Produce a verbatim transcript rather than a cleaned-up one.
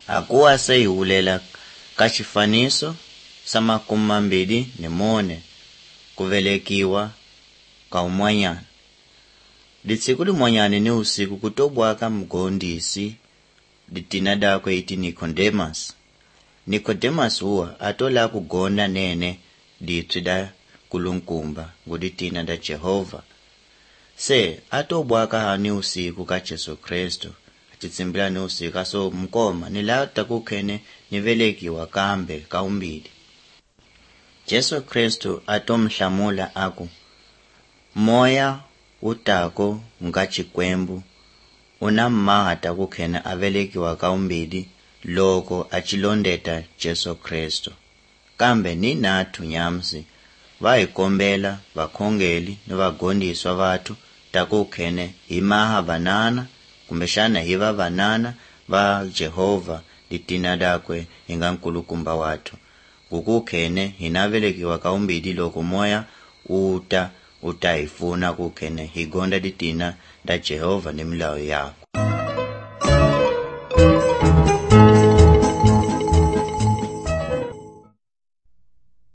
akuwa se hi hulela ka xifaniso sa makumu mambirhi ni mune ku velekiwa ka un'wanyana. Litsiku limwanyane ni usiku kutobwaka mgondisi litina dakwe iti Nicodemus. Nicodemus huwa atola kugonda nene litwi da kulunkumba ngulitina da Jehova. Se atobwaka hani usiku ka Jesu Kristo atitsimbila ni usiku aso mkoma nilata kukhene nivelekiwa kambe kaumbili. Jesu Kristo atomhlamula aku, moya utako nga chikwembu una mmahata kukhena avelekiwa kaumbili loko achilondeta Jesu Kristo. Kambe ni nathu nyamsi vaikombela vakhongeli ni vagondiswa vathu takukhene himaha vanana kumbexana hiva vanana va Jehova litina dakwe hinga nkulukumba wathu. Kukukhene hinavelekiwa kaumbili loko moya uta utahifuna kukhene higonda litina da Jehova ni milawu yako.